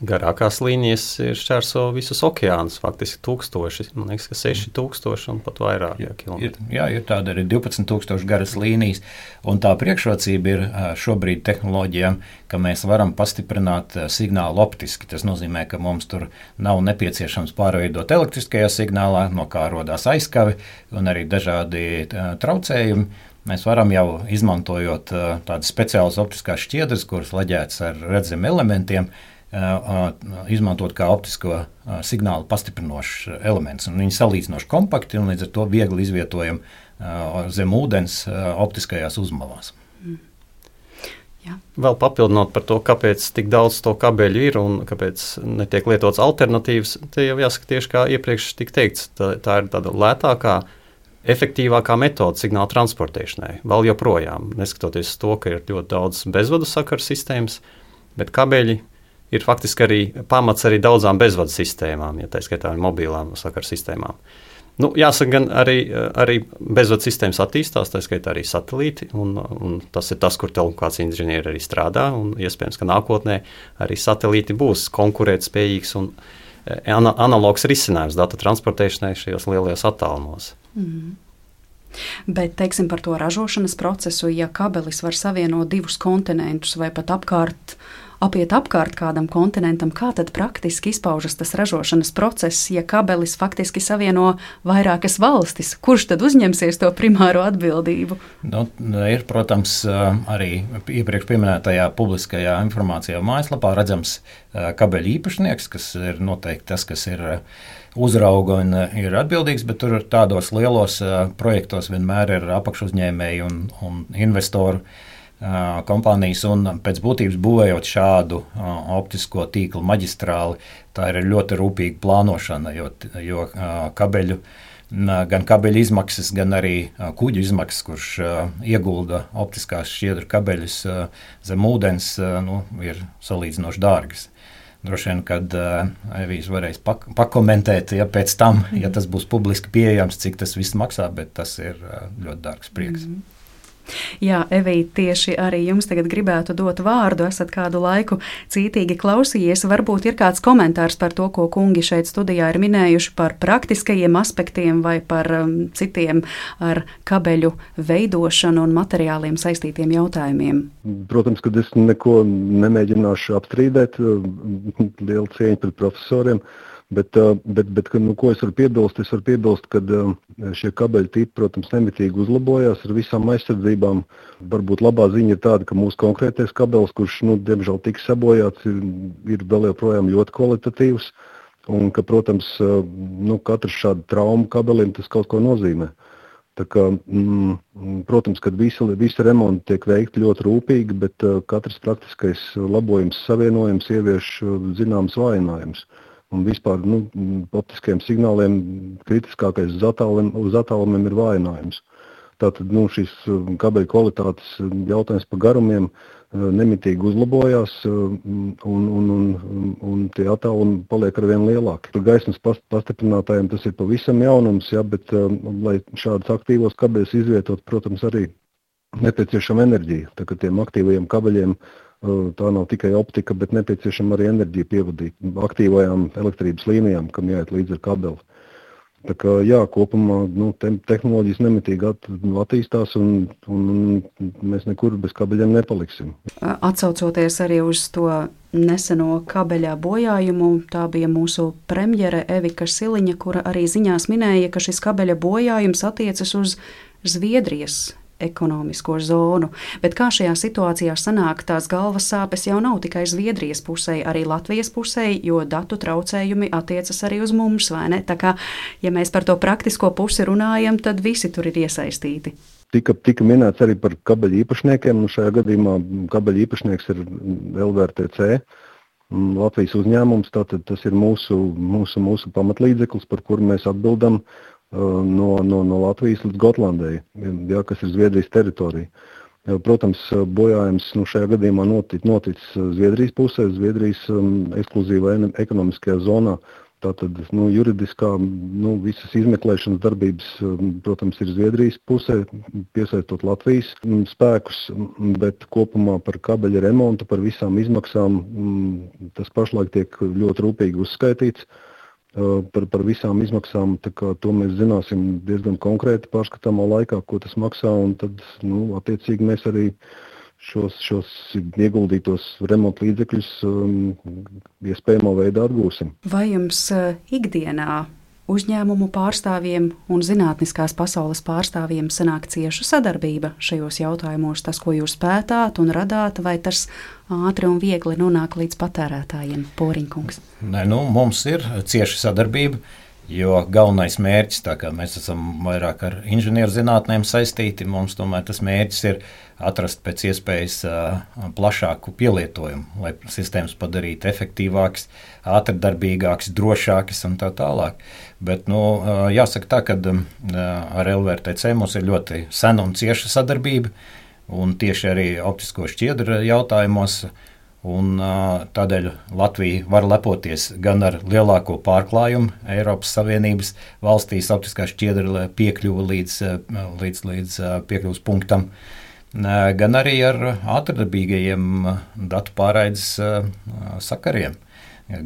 Garākās līnijas ir šķērso visus okeānus, faktiski tūkstoši, man liekas, ka seši tūkstoši un pat vairāk jā, kilometri. Ir, jā, ir tāda arī divpadsmit tūkstoši garas līnijas, un tā priekšrocība ir šobrīd tehnoloģijām, ka mēs varam pastiprināt signālu optiski. Tas nozīmē, ka mums tur nav nepieciešams pārveidot elektriskajā signālā, no kā rodās aizkavi un arī dažādi traucējumi. Mēs varam jau izmantojot tādas speciālas optiskās šķiedras, kuras leģētas ar redzam elementiem, izmantot kā optisko signālu pastiprinošs elements. Un viņi salīdzinoši kompakti un līdz ar to viegli izvietojam zem ūdens optiskajās uzmalās. Mm. Jā. Vēl papildinot par to, kāpēc tik daudz to kabeļu ir un kāpēc netiek lietots alternatīvas, te jau jāsaka tieši kā iepriekš tik teikts, tā, tā ir tāda lētākā, efektīvākā metode signāla transportēšanai. Vēl joprojām, neskatoties to, ka ir ļoti daudz bezvadu sakaru sistēmas, bet kabeļi ir faktiski arī pamats arī daudzām bezvadu sistēmām, ja tā skaitā ar mobilām sakaru sistēmām. Nu, jāsaka, gan arī, arī bezvadu sistēmas attīstās, tā skaitā arī satelīti, un, un tas ir tas, kur telekomunikāciju inženieri arī strādā, un iespējams, ka nākotnē arī satelīti būs konkurētspējīgs un ana, analogs risinājums datu transportēšanai šajos lielajos attālumos. Mm. Bet, teiksim, par to ražošanas procesu, ja kabelis var savienot divus kontinentus vai pat apkārt apiet apkārt kādam kontinentam, kā tad praktiski izpaužas tas ražošanas process, ja kabelis faktiski savieno vairākas valstis? Kurš tad uzņemsies to primāro atbildību? Nu, ir, protams, arī iepriekš pieminētajā publiskajā informācijā mājaslapā redzams kabeļu īpašnieks, kas ir noteikti tas, kas ir uzrauga un ir atbildīgs, bet tur tādos lielos projektos vienmēr ir apakšuzņēmēji un, un investoru kompānijas, un pēc būtības būvējot šādu optisko tīklu maģistrāli, tā ir ļoti rūpīga plānošana, jo, jo kabeļu, gan kabeļu izmaksas, gan arī kuģu izmaksas, kurš iegulda optiskās šķiedru kabeļus zem ūdens, nu, ir salīdzinoši dārgas. Droši vien, kad Evijas varēs pak- pakomentēt, ja pēc tam, ja tas būs publiski pieejams, cik tas viss maksā, bet tas ir ļoti dārgs prieks. Mm-hmm. Jā, Evija, tieši arī jums tagad gribētu dot vārdu, esat kādu laiku cītīgi klausījies, varbūt ir kāds komentārs par to, ko kungi šeit studijā ir minējuši par praktiskajiem aspektiem vai par um, citiem ar kabeļu veidošanu un materiāliem saistītiem jautājumiem. Protams, ka es neko nemēģināšu apstrīdēt, liela cieņa pret profesoriem. Bet, bet, bet nu, ko es varu piebilst? Es varu piebilst, ka šie kabeļu tipi, protams, nemitīgi uzlabojās ar visām aizsardzībām. Varbūt labā ziņa ir tāda, ka mūsu konkrētais kabelis, kurš, nu, diemžēl tika sabojāts, ir, ir vēl joprojām ļoti kvalitatīvs. Un ka, protams, nu, katrs šāda trauma kabelim tas kaut ko nozīmē. Tā kā, mm, protams, ka visi, visi remonti tiek veikti ļoti rūpīgi, bet katrs praktiskais labojums, savienojums ievieš zināms vājinājums. Un vispār nu, optiskajiem signāliem kritiskākais uz, attālum, uz attālumiem ir vājinājums. Tātad nu, šis kabeļu kvalitātes jautājums par garumiem nemitīgi uzlabojās un, un, un, un tie attālumi paliek arvien lielāki. Gaismas pastiprinātājiem tas ir pavisam jaunums, ja, bet lai šādus aktīvos kabeļus izvietot, protams, arī nepieciešama enerģija. Tā kā tiem aktīvajiem kabeļiem tā nav tikai optika, bet nepieciešama arī enerģija pievadīt aktīvajām elektrības līnijām, kam jāiet līdz ar kabeli. Tā kā, jā, kopumā nu, te, tehnoloģijas nemitīgi at, attīstās un, un mēs nekur bez kabeļiem nepaliksim. Atsaucoties arī uz to neseno kabeļā bojājumu, tā bija mūsu premjere Evika Siliņa, kura arī ziņās minēja, ka šis kabeļa bojājums attiecas uz Zviedrijas ekonomisko zonu, bet kā šajā situācijā sanāk, tās galvas sāpes jau nav tikai Zviedrijas pusē, arī Latvijas pusē, jo datu traucējumi attiecas arī uz mums, vai ne? Tā kā, ja mēs par to praktisko pusi runājam, tad visi tur ir iesaistīti. Tika, tika minēts arī par kabeļu īpašniekiem, un šajā gadījumā kabeļu īpašnieks ir L V R T C, Latvijas uzņēmums, tātad tas ir mūsu, mūsu, mūsu pamatlīdzeklis, par kuru mēs atbildam No, no, no Latvijas līdz Gotlandai, ja, kas ir Zviedrijas teritorija. Protams, bojājums nu, šajā gadījumā notic, noticis Zviedrijas pusē, Zviedrijas um, ekskluzīvā ekonomiskajā zonā. Tātad nu, juridiskā, nu, visas izmeklēšanas darbības, protams, ir Zviedrijas pusē, piesaistot Latvijas spēkus, bet kopumā par kabeļa remontu, par visām izmaksām, tas pašlaik tiek ļoti rūpīgi uzskaitīts. Par, par visām izmaksām, tā kā to mēs zināsim diezgan konkrēti pārskatāmā laikā, ko tas maksā, un tad, nu, attiecīgi mēs arī šos, šos ieguldītos remontu līdzekļus um, iespējamā veidā atgūsim. Vai jums uh, ikdienā uzņēmumu pārstāvjiem un zinātniskās pasaules pārstāvjiem sanāk cieša sadarbība šajos jautājumos, tas, ko jūs pētāt un radāt, vai tas ātri un viegli nonāk līdz patērētājiem? Poriņkungs. Nē, nu, mums ir cieša sadarbība. Jo galvenais mērķis, tā kā mēs esam vairāk ar inženierzinātnēm saistīti, mums tomēr tas mērķis ir atrast pēc iespējas uh, plašāku pielietojumu, lai sistēmas padarītu efektīvākas, ātrdarbīgākas, drošākas un tā tālāk. Bet nu, uh, jāsaka tā, ka uh, ar L V R T C mums ir ļoti sena un cieša sadarbība, un tieši arī optisko šķiedru jautājumos. Un, tādēļ Latvija var lepoties gan ar lielāko pārklājumu Eiropas Savienības valstīs optiskā šķiedra piekļuva līdz, līdz, līdz piekļuvas punktam, gan arī ar ātrdarbīgajiem datu pārraides sakariem,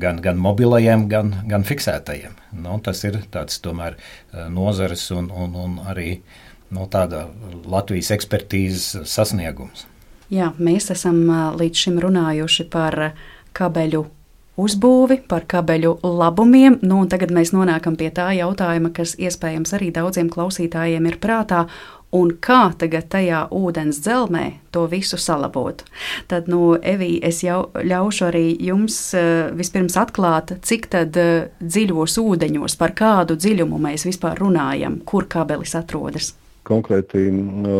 gan, gan mobilajiem, gan, gan fiksētajiem. Nu, tas ir tāds tomēr nozares un, un, un arī no tāda Latvijas ekspertīzes sasniegums. Jā, mēs esam līdz šim runājuši par kabeļu uzbūvi, par kabeļu labumiem, nu un tagad mēs nonākam pie tā jautājuma, kas iespējams arī daudziem klausītājiem ir prātā, un kā tagad tajā ūdens dzelmē to visu salabot. Tad, nu, Evī, es jau ļaušu arī jums vispirms atklāt, cik tad dziļos ūdeņos, par kādu dziļumu mēs vispār runājam, kur kabelis atrodas. Konkrēti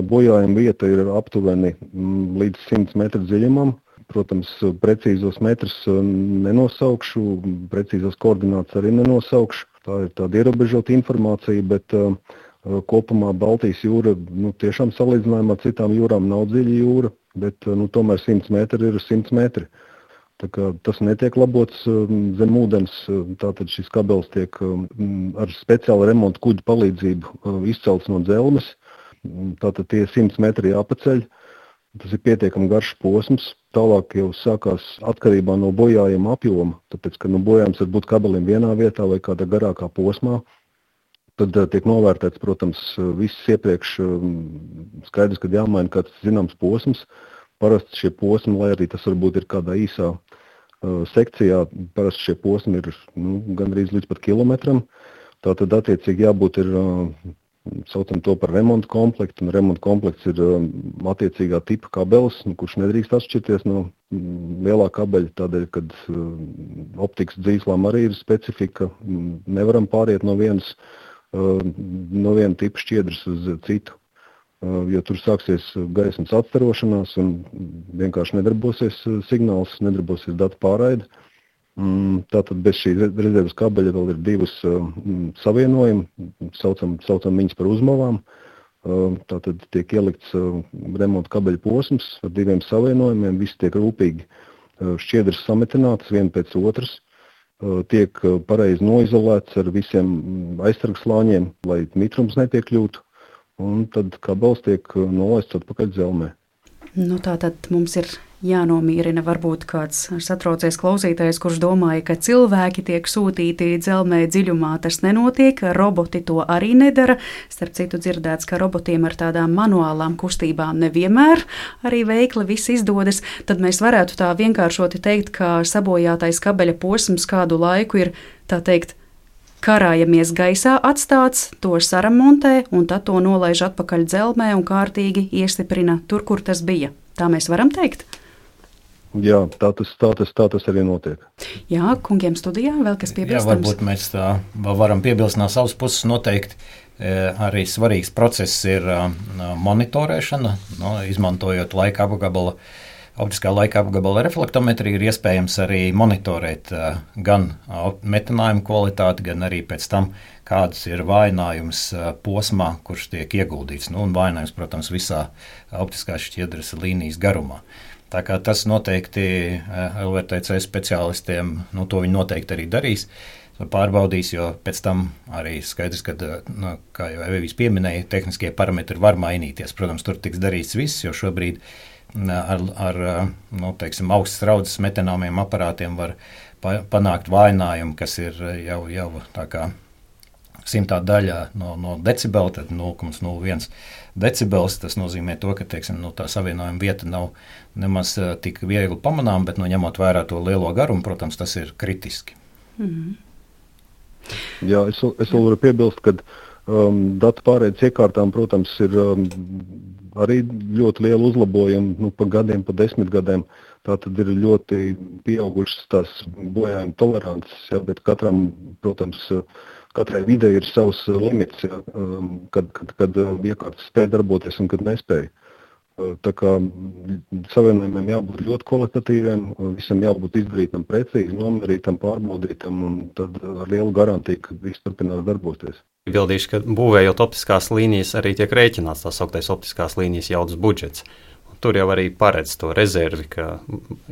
bojājuma vieta ir aptuveni līdz simts metru dziļumam. Protams, precīzos metrus nenosaukšu, precīzos koordinātus arī nenosaukšu. Tā ir tāda ierobežota informācija, bet uh, kopumā Baltijas jūra nu, tiešām salīdzinājumā ar citām jūrām nav dziļa jūra, bet uh, nu, tomēr simts metri ir simts metri. Tā kā tas netiek labots zem ūdens, tātad šis kabelis tiek ar speciālu remontu kuģu palīdzību izcelts no dzelmes. Tātad tie simts metri jāpaceļ. Tas ir pietiekami garš posms. Tālāk jau sākās atkarībā no bojājuma apjoma, tāpēc, ka nu, bojājums var būt kabelim vienā vietā vai kādā garākā posmā. Tad tiek novērtēts, protams, viss iepriekš skaidrs, kad jāmaina kāds zināms posms. Parasti šie posmi, lai arī tas varbūt ir kādā īsā uh, sekcijā, parasti šie posmi ir nu, gandrīz līdz pat kilometram. Tātad attiecīgi jābūt ir, uh, saucam to par remontu komplektu, un remontu komplekts ir uh, attiecīgā tipa kabelis, nu, kurš nedrīkst atšķirties no mm, lielā kabeļa, tādēļ, kad uh, optikas dzīslām arī ir specifika, nevaram pāriet no vienas, uh, no viena tipa šķiedras uz citu. Jo tur sāksies gaismas atstarošanās un vienkārši nedarbosies signāls, nedarbosies datu pārraide. Tātad bez šī rezerves kabeļa vēl ir divas savienojumi, saucam, saucam viņas par uzmavām. Tātad tiek ielikts remonta kabeļa posms ar diviem savienojumiem, visi tiek rūpīgi šķiedras sametinātas viena pēc otras. Tiek pareizi noizolēts ar visiem aizsargslāņiem, lai mitrums nepiekļūtu. Un tad kabelis tiek nolaists atpakaļ dzelmē. Nu, tā tad mums ir jānomierina varbūt kāds satraucies klausītājs, kurš domāja, ka cilvēki tiek sūtīti dzelmē dziļumā. Tas nenotiek, roboti to arī nedara. Starp citu dzirdēts, ka robotiem ar tādām manuālām kustībām nevienmēr arī veikli viss izdodas. Tad mēs varētu tā vienkāršoti teikt, ka sabojātais kabeļa posms kādu laiku ir, tā teikt, karājamies gaisā atstāts, to saremontē un tad to nolaiž atpakaļ dzelmē un kārtīgi iestiprina tur, kur tas bija. Tā mēs varam teikt? Jā, tā tas, tā tas, tā tas arī notiek. Jā, kungiem studijā vēl kas piebilstams? Jā, varbūt mēs tā varam piebilst no savas puses noteikti. Arī svarīgs process ir monitorēšana, no, izmantojot laika apgabala. Optiskā laika apgabala reflektometrija ir iespējams arī monitorēt uh, gan metinājumu kvalitāti, gan arī pēc tam, kādas ir vājinājums uh, posmā, kurš tiek ieguldīts. Nu, un vājinājums, protams, visā optiskās šķiedras līnijas garumā. Tā kā tas noteikti uh, L V R T C speciālistiem, nu, to viņi noteikti arī darīs. pārbaudīs, jo pēc tam arī skaidrs, ka, nu, kā jau Evijas pieminēja, tehniskie parametri var mainīties. Protams, tur tiks darīts viss, jo šobrīd ar, ar nu, teiksim, augstas raudzes metanāmiem aparātiem var pa, panākt vājinājumu, kas ir jau, jau tā kā simtā daļā no, no decibela, tad nulle komats nulle viens decibels. Tas nozīmē to, ka, teiksim, nu, tā savienojuma vieta nav nemaz tik viegli pamanām, bet, nu, ņemot vērā to lielo garumu, protams, tas ir kritiski. Mm-hmm. Jā, es, es vēl varu piebilst, ka um, datu pārēdes iekārtām, protams, ir um, arī ļoti liela uzlabojuma, nu, pa gadiem, pa desmit gadiem. Tā tad ir ļoti pieaugušas tās bojājuma tolerances, jā, bet katram, protams, katrai videi ir savs limits, jā, um, kad, kad, kad iekārtas spēj darboties un kad nespēj. Tā kā savienojumiem jābūt ļoti kvalitatīviem, visam jābūt izdarītam precīzi, nomērītam, pārbaudītam un tad ar lielu garantiju, ka viss turpinās darboties. Bildīšu, ka būvējot optiskās līnijas arī tiek rēķināts tās sauktais optiskās līnijas jaudas budžets. Tur jau arī paredz to rezervi, ka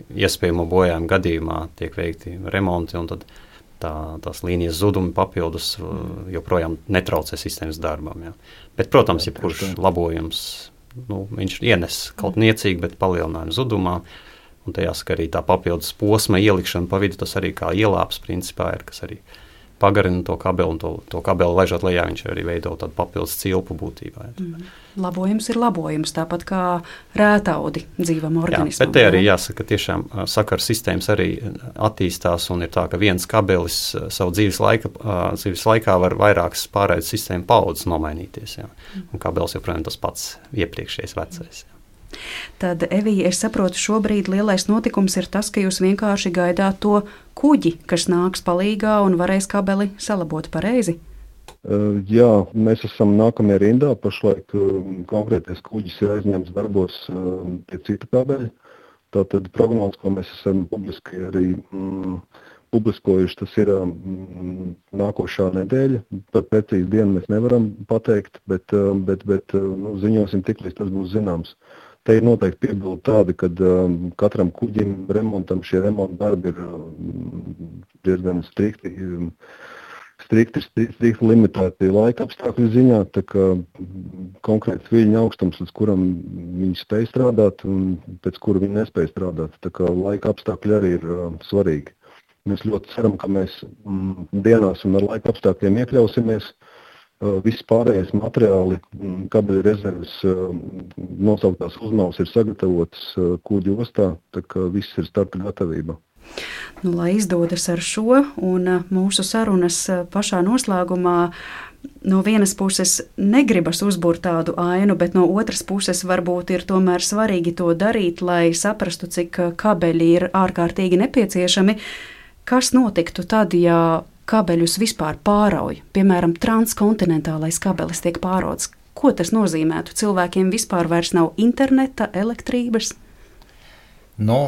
iespējamo bojājumu gadījumā tiek veikti remonti un tad tā, tās līnijas zudumi papildus joprojām netraucē sistēmas darbam. Jā. Bet, protams, jebkurš labojums, nu, viņš ienes kaut niecīgi, bet palielinājumu zudumā. Un te jāsaka arī tā papildus posma ielikšana pa vidu, tas arī kā ielāps principā ir, kas arī pagarina to kabeli un to, to kabeli ležot lejā, viņš arī veido tādu papildus cilpu būtībā. Mm. Labojums ir labojums, tāpat kā rētaudi dzīvam organismam. Jā, bet te arī jāsaka, tiešām sakaru sistēmas arī attīstās un ir tā, ka viens kabelis savu dzīves, laika, dzīves laikā var vairākas pārēdes sistēmu paudzes nomainīties. Jā. Un kabelis joprojām tas pats iepriekšējais vecais. Jā. Tad, Evija, es saprotu, šobrīd lielais notikums ir tas, ka jūs vienkārši gaidāt to kuģi, kas nāks palīgā un varēs kabeli salabot pareizi? Uh, jā, mēs esam nākamajā rindā. Pašlaik uh, konkrētais kuģis ir aizņemts darbos uh, pie cita kabeļa. Tātad prognozes, ko mēs esam publiski arī mm, publiskojuši, tas ir mm, nākošā nedēļa. Par precīzi dienu mēs nevaram pateikt, bet, uh, bet, bet uh, nu, ziņosim tik, līdz tas būs zināms. Te ir noteikti piebildi tādi, ka um, katram kuģim remontam šie remonta darbi ir um, diezgan strikti, um, strikti, strikti limitēti laika apstākļu ziņā, tā kā konkrēts viļņa augstums, līdz kuram viņi spēj strādāt un pēc kura viņi nespēj strādāt. Tā kā laika apstākļi arī ir um, svarīgi. Mēs ļoti ceram, ka mēs um, dienās un ar laika apstākļiem iekļausimies. Viss pārējais materiāli, kabeļu rezerves, nosauktās uzmavas ir sagatavotas kuģu ostā, tā kā viss ir starta gatavība. Nu, lai izdodas ar šo un mūsu sarunas pašā noslēgumā, no vienas puses negribas uzbūrt tādu ainu, bet no otras puses varbūt ir tomēr svarīgi to darīt, lai saprastu, cik kabeļi ir ārkārtīgi nepieciešami. Kas notiktu tad, ja kabeļus vispār pārauj, piemēram, transkontinentālais kabelis tiek pārauts? Ko tas nozīmētu? Cilvēkiem vispār vairs nav interneta, elektrības? Nu,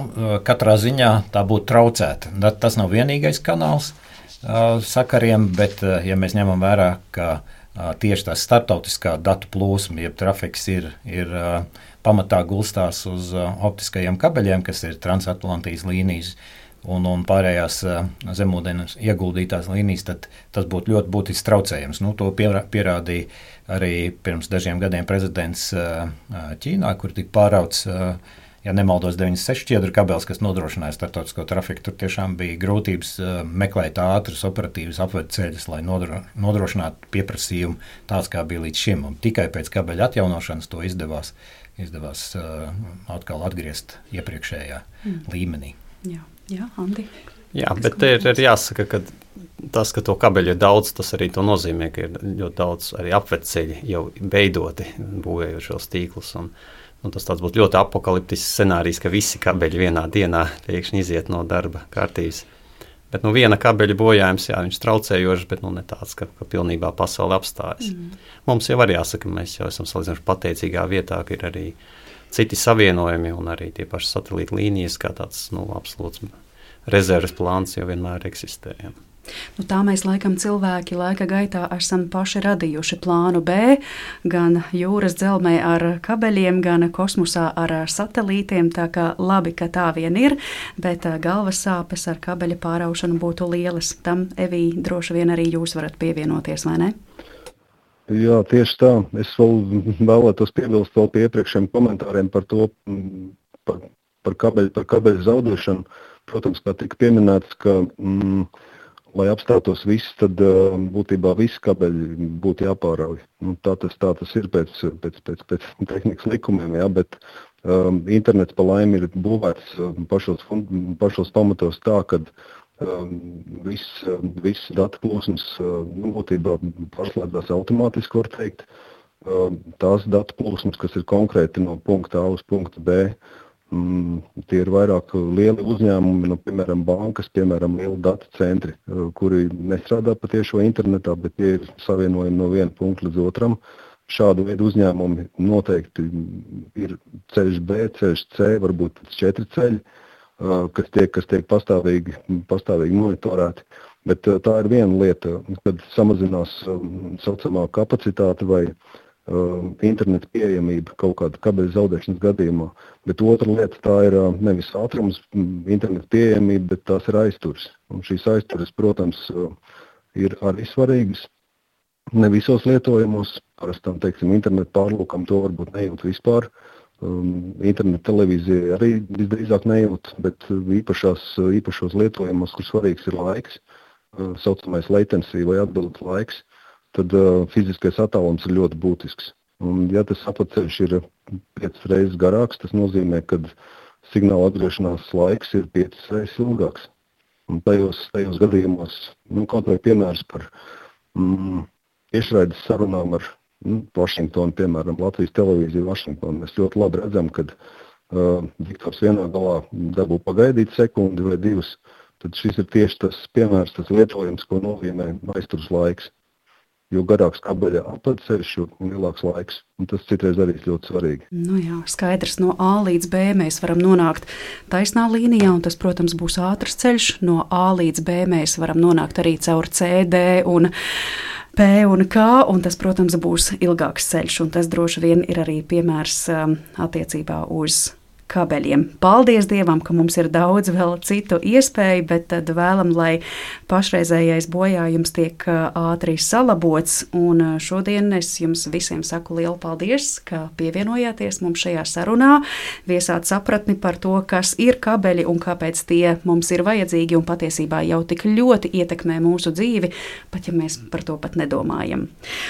katrā ziņā tā būtu traucēta. Tas nav vienīgais kanāls uh, sakariem, bet, uh, ja mēs ņemam vērā, ka uh, tieši tā starptautiskā datu plūsma, jeb trafiks ir, ir uh, pamatā gulstās uz uh, optiskajiem kabeļiem, kas ir transatlantijas līnijas, Un, un pārējās uh, zemūdens ieguldītās līnijas, tad tas būtu ļoti būtisks traucējums. Nu, to pierā, pierādīja arī pirms dažiem gadiem prezidents uh, Ķīnā, kur tika pārauts, uh, ja nemaldos, deviņdesmit seši šķiedru kabelis, kas nodrošināja starptautisko trafiku. Tur tiešām bija grūtības uh, meklēt ātrus operatīvus apvedceļus, lai nodro, nodrošinātu pieprasījumu tāds, kā bija līdz šim. Un tikai pēc kabeļa atjaunošanas to izdevās, izdevās uh, atkal atgriezt iepriekšējā mm. līmenī. Jā. Jā, Andi. Jā, bet te ir, ir jāsaka, ka tas, ka to kabeļu ir daudz, tas arī to nozīmē, ka ir ļoti daudz arī apvedceļi jau veidoti, būvējot šos tīklus. Un, un tas tāds būtu ļoti apokaliptisks scenārijs, ka visi kabeļi vienā dienā pēkšņi iziet no darba kārtības. Bet nu, viena kabeļa bojājums, jā, viņš traucējošs, bet nu, ne tāds, ka, ka pilnībā pasaule apstājas. Mm. Mums jau arī jāsaka, mēs jau esam salīdzinoši pateicīgā vietā, ka ir arī citi savienojumi un arī tie paši satelīta līnijas, kā tāds nu, absolūts rezerves plāns jau vienmēr eksistē. Nu, tā mēs laikam cilvēki laika gaitā esam paši radījuši plānu B, gan jūras dzelzmē ar kabeļiem, gan kosmosā ar satelītiem, tā kā labi, ka tā vien ir, bet galvas sāpes ar kabeļa pāraušanu būtu lielas. Tam, Evī, droši vien arī jūs varat pievienoties, vai ne? Jā, tieši tā. Es vēl vēlētos piebilst vēl pie iepriekšējiem komentāriem par to, par, par kabeļu, par kabeļu zaudēšanu. Protams, kā tika pieminēts, ka mm, lai apstātos viss, tad uh, būtībā visi kabeļi būtu jāpārauj. Nu, tā, tas, tā tas ir pēc, pēc, pēc, pēc tehnikas likumiem, jā, bet um, internets pa laimi ir būvēts pašos, pašos pamatos tā, ka um, viss, viss datu plūsmas uh, nu, būtībā pārslēdzās automātiski, var teikt. Uh, tās datu plūsmas, kas ir konkrēti no punkta A uz punktu B, Mm, tie ir vairāk lieli uzņēmumi, no, piemēram, bankas, piemēram, lieli datu centri, kuri nestrādā pa tiešo internetā, bet tie ir savienojumi no viena punkta līdz otram. Šādu veidu uzņēmumi noteikti ir ceļš B, ceļš C, varbūt četri ceļi, kas tiek, kas tiek pastāvīgi, pastāvīgi monitorēti. Bet tā ir viena lieta, kad samazinās saucamā kapacitāte vai Uh, interneta pieejamība kaut kāda kabeļa zaudēšanas gadījumā, bet otra lieta tā ir uh, nevis ātrums, interneta pieejamība, bet tās ir aizturas. Un šīs aizturas, protams, uh, ir arī svarīgas. Ne visos lietojumos, parastam, teiksim, internetu pārlūkam to varbūt nejūt vispār. Um, internetu televīzija arī visdrīzāk nejūt, bet īpašās, īpašos lietojumos, kur svarīgs ir laiks, uh, saucamais latency vai atbildes laiks, tad uh, fiziskais attālums ir ļoti būtisks. Un, ja tas apceļš ir piecas reizes garāks, tas nozīmē, ka signāla atgriešanās laiks ir piecas reizes ilgāks. Un tajos, tajos gadījumos, nu, kaut vai piemērs par mm, tiešraides sarunām ar nu, Vašingtonu, piemēram, Latvijas televīziju Vašingtonu, mēs ļoti labi redzam, kad uh, diktors vienā galā dabū pagaidīt sekundi vai divas, tad šis ir tieši tas piemērs, tas lietojums, ko nozīmē aizturas laiks. Jo garāks kabeļa apceļš, jo lielāks laiks. Un tas citreiz arī ir ļoti svarīgi. Nu jā, skaidrs, no A līdz B mēs varam nonākt taisnā līnijā, un tas, protams, būs ātrs ceļš. No A līdz B mēs varam nonākt arī caur C, D un P un K, un tas, protams, būs ilgāks ceļš. Un tas droši vien ir arī piemērs um, attiecībā uz kabeļiem. Paldies Dievam, ka mums ir daudz vēl citu iespēju, bet tad vēlam, lai pašreizējais bojājums tiek ātri salabots. Un šodien es jums visiem saku lielu paldies, ka pievienojāties mums šajā sarunā, viesāt sapratni par to, kas ir kabeļi un kāpēc tie mums ir vajadzīgi un patiesībā jau tik ļoti ietekmē mūsu dzīvi, pat ja mēs par to pat nedomājam.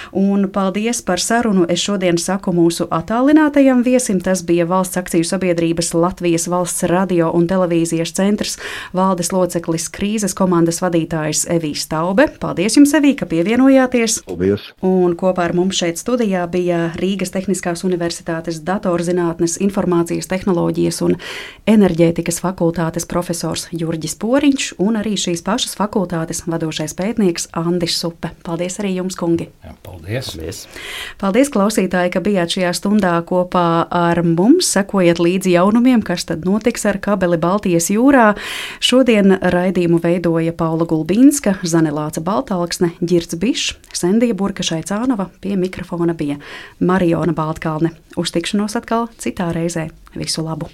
Un paldies par sarunu. Es šodien saku mūsu attālinātajam viesim. Tas bija Valsts akciju sabiedrība Latvijas valsts radio un televīzijas centrs valdes loceklis, krīzes komandas vadītājs Evī Staube. Paldies jums, Evī, ka pievienojāties. Paldies. Un kopā ar mums šeit studijā bija Rīgas Tehniskās universitātes datorzinātnes, informācijas tehnoloģijas un enerģētikas fakultātes profesors Jurģis Poriņš un arī šīs pašas fakultātes vadošais pētnieks Andis Supe. Paldies arī jums, kungi. Jā, paldies. Paldies. Paldies, klausītāji, ka bijāt šajā stundā kopā ar mums. Sekojiet līdzi jaunumiem, kas tad notiks ar kabeli Baltijas jūrā. Šodien raidījumu veidoja Paula Gulbīnska, Zanelāca Baltalksne, Ģirds Bišs, Sendija Burka-Šaicānova, pie mikrofona bija Mariona Baltkalne. Uz tikšanos atkal citā reizē. Visu labu!